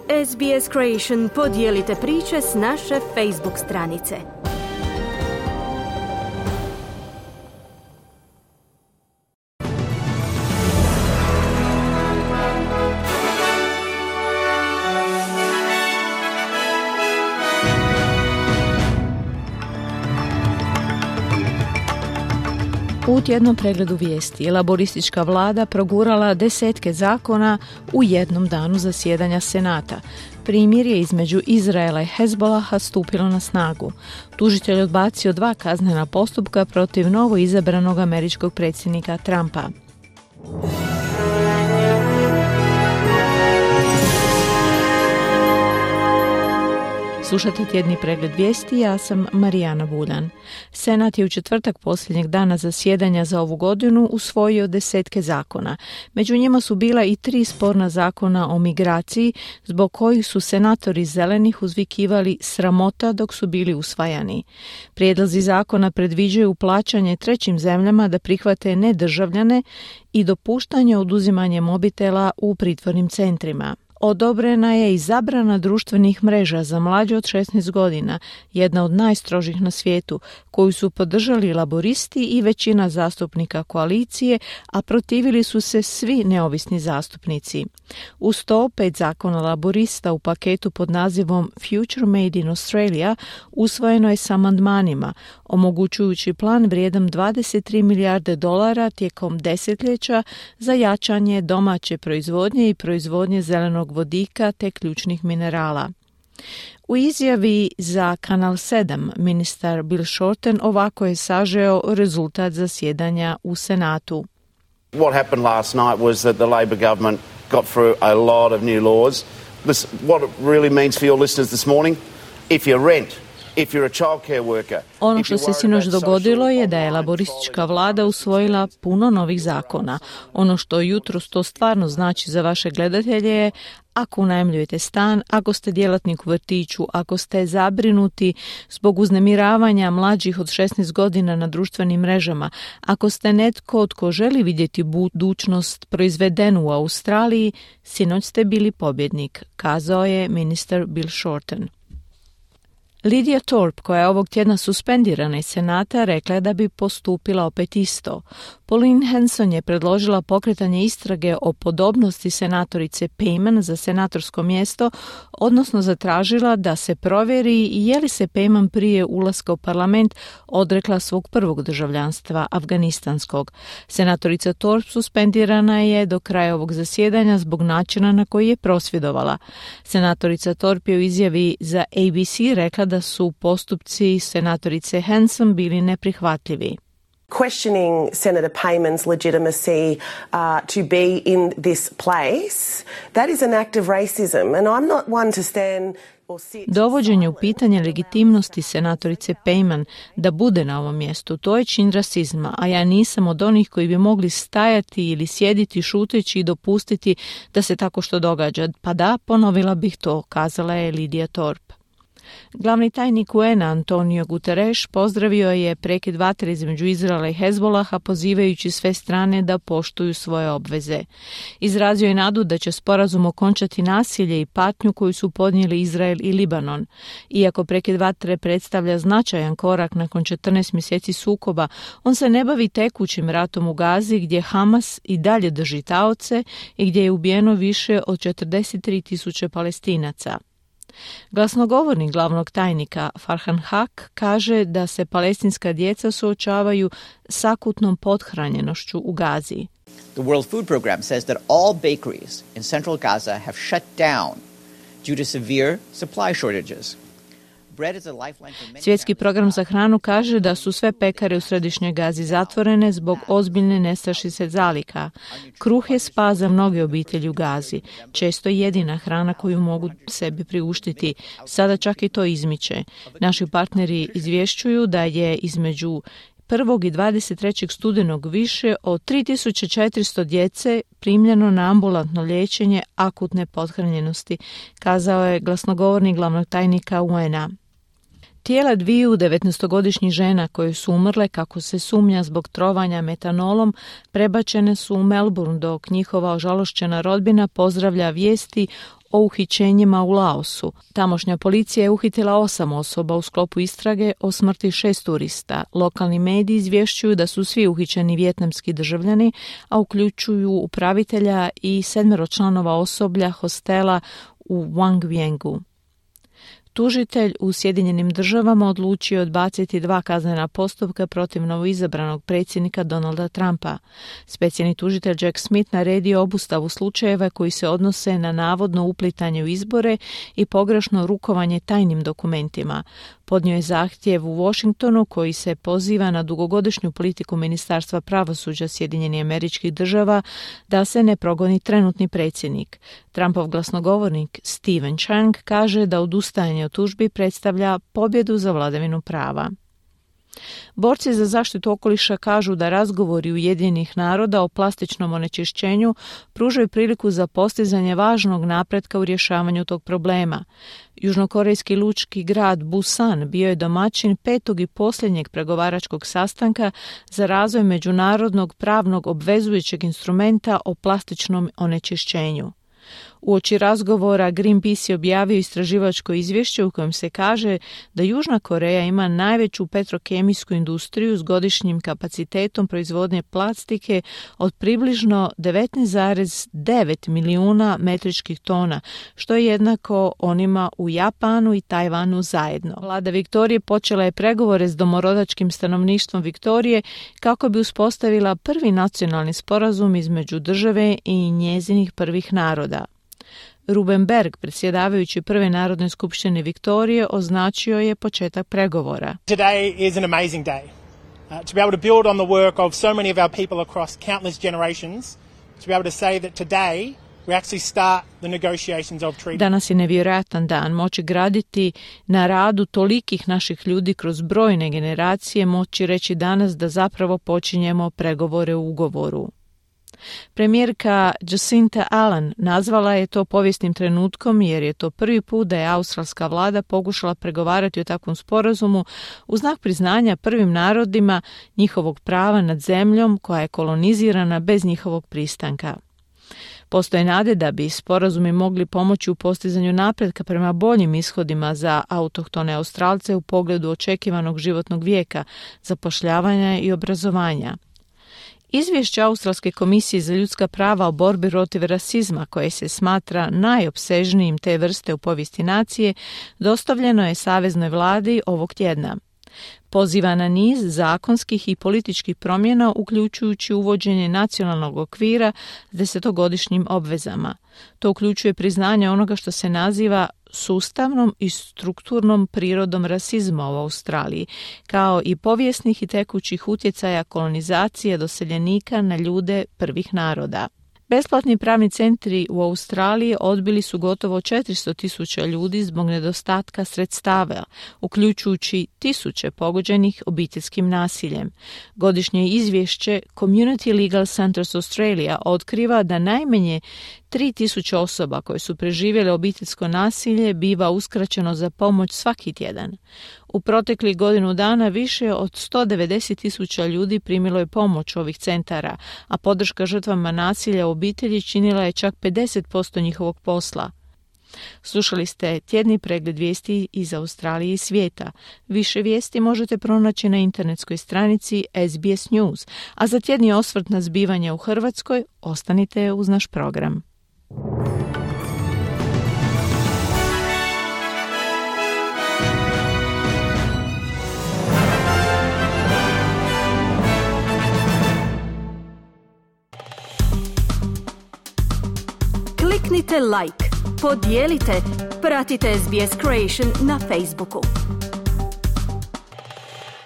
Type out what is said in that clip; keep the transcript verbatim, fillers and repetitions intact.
S B S Creation podijelite priče s naše Facebook stranice. U tjednom pregledu vijesti laboristička vlada progurala desetke zakona u jednom danu zasjedanja Senata. Primirje između Izraela i Hezbolaha stupilo na snagu. Tužitelj odbacio dva kaznena postupka protiv novo izabranog američkog predsjednika Trumpa. Slušate tjedni pregled vijesti, ja sam Marijana Buljan. Senat je u četvrtak posljednjeg dana zasjedanja za ovu godinu usvojio desetke zakona. Među njima su bila i tri sporna zakona o migraciji, zbog kojih su senatori zelenih uzvikivali sramota dok su bili usvajani. Prijedlozi zakona predviđaju plaćanje trećim zemljama da prihvate nedržavljane i dopuštanje oduzimanja mobitela u pritvornim centrima. Odobrena je i zabrana društvenih mreža za mlađe od šesnaest godina, jedna od najstrožih na svijetu, koju su podržali laboristi i većina zastupnika koalicije, a protivili su se svi neovisni zastupnici. Uz to pet zakona laborista u paketu pod nazivom Future Made in Australia usvojeno je s amandmanima, omogućujući plan vrijedan dvadeset tri milijarde dolara tijekom desetljeća za jačanje domaće proizvodnje i proizvodnje zelenog vodika te ključnih minerala. U izjavi za Kanal sedam ministar Bill Shorten ovako je sažeo rezultat zasjedanja u Senatu. What happened last night was that the Labor government got through a lot of new laws. This, what it really means for your listeners this morning, if you rent, if you're a childcare worker. Ono što se sinoć dogodilo je da je laboristička vlada usvojila puno novih zakona. Ono što jutros to stvarno znači za vaše gledatelje je ako unajmljujete stan, ako ste djelatnik u vrtiću, ako ste zabrinuti zbog uznemiravanja mlađih od šesnaest godina na društvenim mrežama, ako ste netko tko želi vidjeti budućnost proizvedenu u Australiji, sinoć ste bili pobjednik, kazao je ministar Bill Shorten. Lydia Thorpe, koja je ovog tjedna suspendirana iz Senata, rekla je da bi postupila opet isto. Pauline Hanson je predložila pokretanje istrage o podobnosti senatorice Payman za senatorsko mjesto, odnosno zatražila da se provjeri je li se Payman prije ulaska u parlament odrekla svog prvog državljanstva, afganistanskog. Senatorica Thorpe suspendirana je do kraja ovog zasjedanja zbog načina na koji je prosvjedovala. Senatorica Thorpe je u izjavi za A B C rekla da su postupci senatorice Hanson bili neprihvatljivi. Questioning Senator Payman's legitimacy uh, to be in this place, that is an act of racism, and I'm not one to stand or sit. Dovođenje u pitanje legitimnosti senatorice Payman da bude na ovom mjestu, to je čin rasizma, a ja nisam od onih koji bi mogli stajati ili sjediti šuteći i dopustiti da se tako što događa. Pa da, ponovila bih to, kazala je Lydia Thorpe. Glavni tajnik U N A Antonio Guterres pozdravio je prekid vatre između Izraela i Hezbolaha, pozivajući sve strane da poštuju svoje obveze. Izrazio je nadu da će sporazum okončati nasilje i patnju koju su podnijeli Izrael i Libanon. Iako prekid vatre predstavlja značajan korak nakon četrnaest mjeseci sukoba, on se ne bavi tekućim ratom u Gazi gdje Hamas i dalje drži taoce i gdje je ubijeno više od četrdeset tri tisuće Palestinaca. Glasnogovornik glavnog tajnika Farhan Haq kaže da se palestinska djeca suočavaju s akutnom pothranjenošću u Gazi. The World Food Program says that all bakeries in central Gaza have shut down due to severe supply shortages. Svjetski program za hranu kaže da su sve pekare u središnjoj Gazi zatvorene zbog ozbiljne nestašice zaliha. Kruh je spas za mnoge obitelji u Gazi, često jedina hrana koju mogu sebi priuštiti. Sada čak i to izmiče. Naši partneri izvješćuju da je između prvog i dvadeset trećeg studenog više od tri tisuće četiristo djece primljeno na ambulantno liječenje akutne pothranjenosti, kazao je glasnogovornik glavnog tajnika U N A. Tijela dviju devetnaestogodišnjih žena koje su umrle kako se sumnja zbog trovanja metanolom prebačene su u Melbourne, dok njihova ožalošćena rodbina pozdravlja vijesti o uhićenjima u Laosu. Tamošnja policija je uhitila osam osoba u sklopu istrage o smrti šest turista. Lokalni mediji izvješćuju da su svi uhićeni vijetnamski državljani, a uključuju upravitelja i sedmero članova osoblja hostela u Wang Viengu. Tužitelj u Sjedinjenim državama odlučio odbaciti dva kaznena postupka protiv novoizabranog predsjednika Donalda Trumpa. Specijalni tužitelj Jack Smith naredio obustavu slučajeva koji se odnose na navodno uplitanje u izbore i pogrešno rukovanje tajnim dokumentima. Podnio je zahtjev u Washingtonu koji se poziva na dugogodišnju politiku Ministarstva pravosuđa Sjedinjenih Američkih Država da se ne progoni trenutni predsjednik. Trumpov glasnogovornik Stephen Chang kaže da odustajanje od tužbi predstavlja pobjedu za vladavinu prava. Borci za zaštitu okoliša kažu da razgovori Ujedinjenih naroda o plastičnom onečišćenju pružaju priliku za postizanje važnog napretka u rješavanju tog problema. Južnokorejski lučki grad Busan bio je domaćin petog i posljednjeg pregovaračkog sastanka za razvoj međunarodnog pravnog obvezujućeg instrumenta o plastičnom onečišćenju. Uoči razgovora Greenpeace je objavio istraživačko izvješće u kojem se kaže da Južna Koreja ima najveću petrokemijsku industriju s godišnjim kapacitetom proizvodnje plastike od približno devetnaest zarez devet milijuna metričkih tona, što je jednako onima u Japanu i Tajvanu zajedno. Vlada Viktorije počela je pregovore s domorodačkim stanovništvom Viktorije kako bi uspostavila prvi nacionalni sporazum između države i njezinih prvih naroda. Ruben Berg, predsjedavajući Prve Narodne skupštine Viktorije, označio je početak pregovora. Today is an amazing day. Uh, to be able to build on the work of so many of our people across countless generations, to be able to say that today we actually start the negotiations of treaty. Danas je nevjerojatan dan. Moći graditi na radu tolikih naših ljudi kroz brojne generacije, moći reći danas da zapravo počinjemo pregovore u ugovoru. Premijerka Jacinta Allen nazvala je to povijesnim trenutkom jer je to prvi put da je australska vlada pokušala pregovarati o takvom sporazumu u znak priznanja prvim narodima njihovog prava nad zemljom koja je kolonizirana bez njihovog pristanka. Postoje nade da bi sporazumi mogli pomoći u postizanju napretka prema boljim ishodima za autohtone Australce u pogledu očekivanog životnog vijeka, zapošljavanja i obrazovanja. Izvješće Australske komisije za ljudska prava o borbi protiv rasizma, koje se smatra najopsežnijim te vrste u povijesti nacije, dostavljeno je Saveznoj vladi ovog tjedna. Poziva na niz zakonskih i političkih promjena, uključujući uvođenje nacionalnog okvira s desetogodišnjim obvezama. To uključuje priznanje onoga što se naziva sustavnom i strukturnom prirodom rasizma u Australiji, kao i povijesnih i tekućih utjecaja kolonizacije doseljenika na ljude prvih naroda. Besplatni pravni centri u Australiji odbili su gotovo četiristo tisuća ljudi zbog nedostatka sredstava, uključujući tisuće pogođenih obiteljskim nasiljem. Godišnje izvješće Community Legal Centers Australia otkriva da najmanje tri tisuće osoba koje su preživjele obiteljsko nasilje biva uskraćeno za pomoć svaki tjedan. U proteklih godinu dana više od sto devedeset tisuća ljudi primilo je pomoć ovih centara, a podrška žrtvama nasilja u obitelji činila je čak pedeset posto njihovog posla. Slušali ste tjedni pregled vijesti iz Australije i svijeta. Više vijesti možete pronaći na internetskoj stranici S B S News, a za tjedni osvrt na zbivanja u Hrvatskoj ostanite uz naš program. Kliknite like, podijelite, pratite S B S Creation na Facebooku.